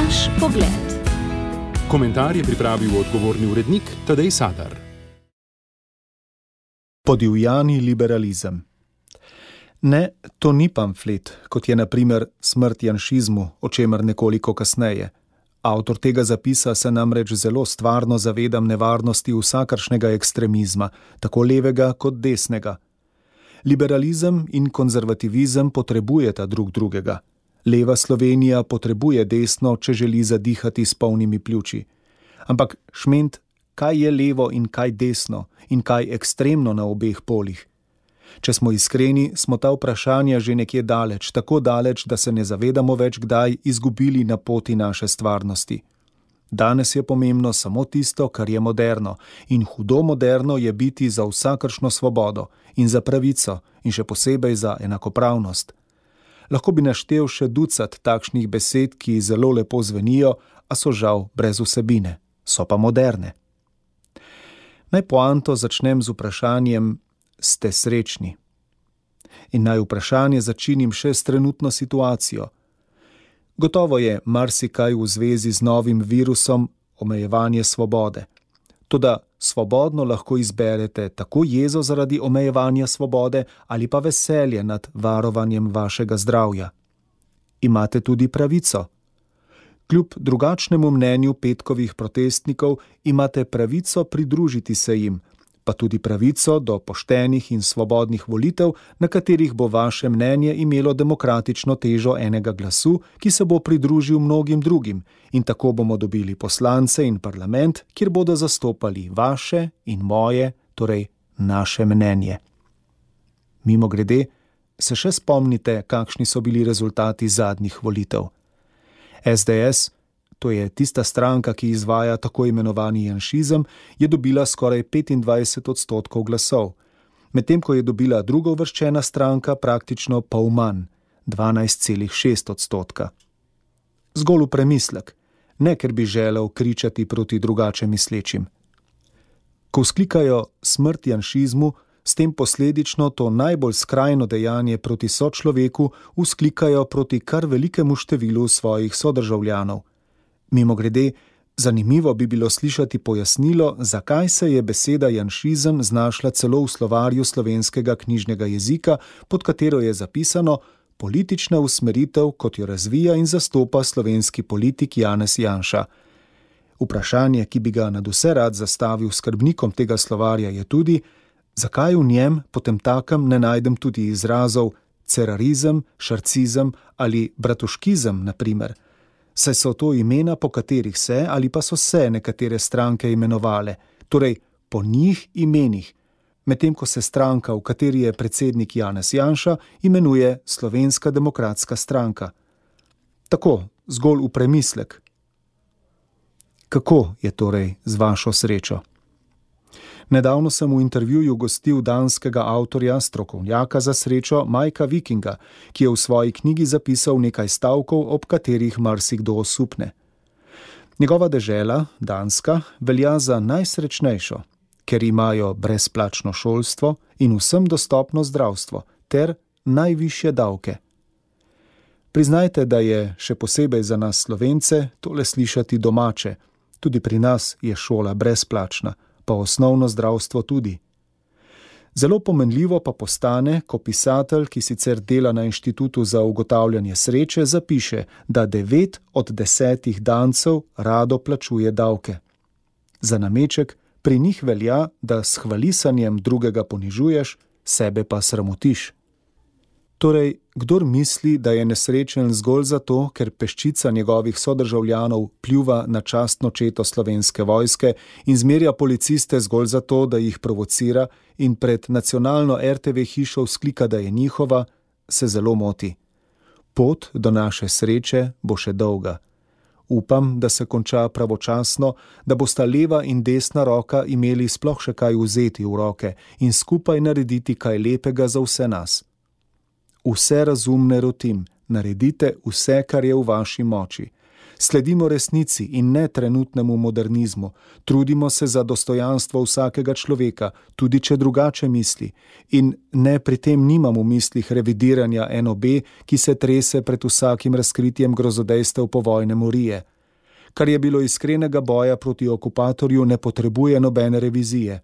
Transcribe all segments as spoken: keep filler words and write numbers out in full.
Naš pogled. Komentar je pripravil odgovorni urednik Tadej Sadar. Podivjani liberalizem. Ne, to ni pamflet, kot je na primer Smrt janšizmu, o čemer nekoliko kasneje. Avtor tega zapisa se namreč zelo stvarno zavedam nevarnosti vsakršnega ekstremizma, tako levega kot desnega. Liberalizem in konzervativizem potrebujeta drug drugega. Leva Slovenija potrebuje desno, če želi zadihati s polnimi pljuči. Ampak šment, kaj je levo in kaj desno in kaj ekstremno na obeh polih? Če smo iskreni, smo ta vprašanja že nekje daleč, tako daleč, da se ne zavedamo več kdaj izgubili na poti naše stvarnosti. Danes je pomembno samo tisto, kar je moderno, in hudo moderno je biti za vsakršno svobodo in za pravico in še posebej za enakopravnost. Lahko bi naštel še ducat takšnih besed, ki zelo lepo zvenijo, a so žal brez vsebine, so pa moderne. Naj poanto začnem z vprašanjem: ste srečni? In naj vprašanje začinim še s trenutno situacijo. Gotovo je marsikaj v zvezi z novim virusom omejevanje svobode. Toda svobodno lahko izberete tako jezo zaradi omejevanja svobode ali pa veselje nad varovanjem vašega zdravja. Imate tudi pravico. Kljub drugačnemu mnenju petkovih protestnikov imate pravico pridružiti se jim, pa tudi pravico do poštenih in svobodnih volitev, na katerih bo vaše mnenje imelo demokratično težo enega glasu, ki se bo pridružil mnogim drugim, in tako bomo dobili poslance in parlament, kjer bodo zastopali vaše in moje, torej naše mnenje. Mimogrede, se še spomnite, kakšni so bili rezultati zadnjih volitev? es de es, to je tista stranka, ki izvaja tako imenovani janšizem, je dobila skoraj petindvajset odstotkov glasov, medtem ko je dobila drugouvrščena stranka praktično pol manj, dvanajst celih šest odstotka. Zgolj v premislek, ne ker bi želel kričati proti drugače mislečim. Ko vzklikajo smrt janšizmu, s tem posledično to najbolj skrajno dejanje proti sočloveku vzklikajo proti kar velikemu številu svojih sodržavljanov. Mimogrede, zanimivo bi bilo slišati pojasnilo, zakaj se je beseda janšizem znašla celo v slovarju slovenskega knjižnega jezika, pod katero je zapisano politična usmeritev, kot jo razvija in zastopa slovenski politik Janez Janša. Vprašanje, ki bi ga nadvse rad zastavil skrbnikom tega slovarja, je tudi, zakaj v njem potemtakem ne najdem tudi izrazov cerarizem, šarcizem ali bratuškizem, na primer. Saj so to imena, po katerih se ali pa so se nekatere stranke imenovale, torej po njih imenih, medtem ko se stranka, v kateri je predsednik Janez Janša, imenuje Slovenska demokratska stranka. Tako, zgolj v premislek. Kako je torej z vašo srečo? Nedavno sem v intervjuju gostil danskega avtorja, strokovnjaka za srečo Majka Vikinga, ki je v svoji knjigi zapisal nekaj stavkov, ob katerih marsikdo osupne. Njegova dežela, Danska, velja za najsrečnejšo, ker imajo brezplačno šolstvo in vsem dostopno zdravstvo ter najvišje davke. Priznajte, da je še posebej za nas Slovence tole slišati domače. Tudi pri nas je šola brezplačna, pa osnovno zdravstvo tudi. Zelo pomenljivo pa postane, ko pisatelj, ki sicer dela na Inštitutu za ugotavljanje sreče, zapiše, da devet od desetih Dancev rado plačuje davke. Za nameček pri njih velja, da s hvalisanjem drugega ponižuješ, sebe pa sramotiš. Torej, kdor misli, da je nesrečen zgolj zato, ker peščica njegovih sodržavljanov pljuva na častno četo slovenske vojske in zmerja policiste zgolj zato, da jih provocira in pred nacionalno er te ve hišo vzklika, da je njihova, se zelo moti. Pot do naše sreče bo še dolga. Upam, da se konča pravočasno, da bosta leva in desna roka imeli sploh še kaj vzeti v roke in skupaj narediti kaj lepega za vse nas. Vse razumne rotim, naredite vse, kar je v vaši moči. Sledimo resnici in ne trenutnemu modernizmu. Trudimo se za dostojanstvo vsakega človeka, tudi če drugače misli. In ne pri tem nimam v mislih revidiranja en o be, ki se trese pred vsakim razkritjem grozodejstev povojne morije. Kar je bilo iskrenega boja proti okupatorju, ne potrebuje nobene revizije.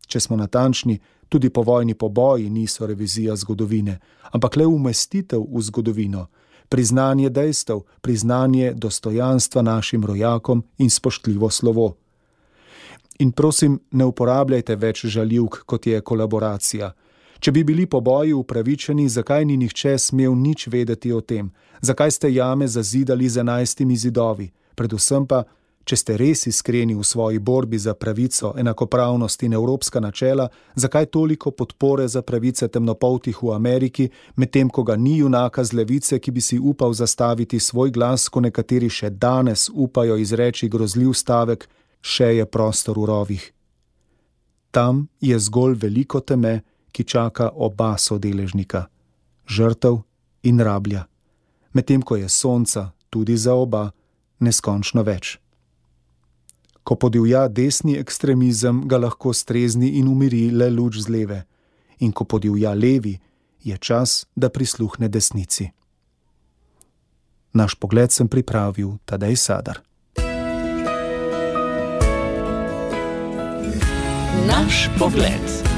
Če smo natančni, tudi povojni poboji niso revizija zgodovine, ampak le umestitev v zgodovino, priznanje dejstev, priznanje dostojanstva našim rojakom in spoštljivo slovo. In prosim, ne uporabljajte več žaljivk, kot je kolaboracija. Če bi bili poboji upravičeni, zakaj ni nihče smel nič vedeti o tem? Zakaj ste jame zazidali z enajstimi zidovi? Predvsem pa, če ste res iskreni v svoji borbi za pravico, enakopravnost in evropska načela, zakaj toliko podpore za pravice temnopoltih v Ameriki, medtem ko ga ni junaka z levice, ki bi si upal zastaviti svoj glas, ko nekateri še danes upajo izreči grozljiv stavek, še je prostor v rovih. Tam je zgolj veliko teme, ki čaka oba sodeležnika, žrtev in rablja, medtem ko je sonca tudi za oba neskončno več. Ko podivja desni ekstremizem, ga lahko strezni in umiri le luč z leve. In ko podivja levi, je čas, da prisluhne desnici. Naš pogled sem pripravil Tadej Sadar. Naš pogled.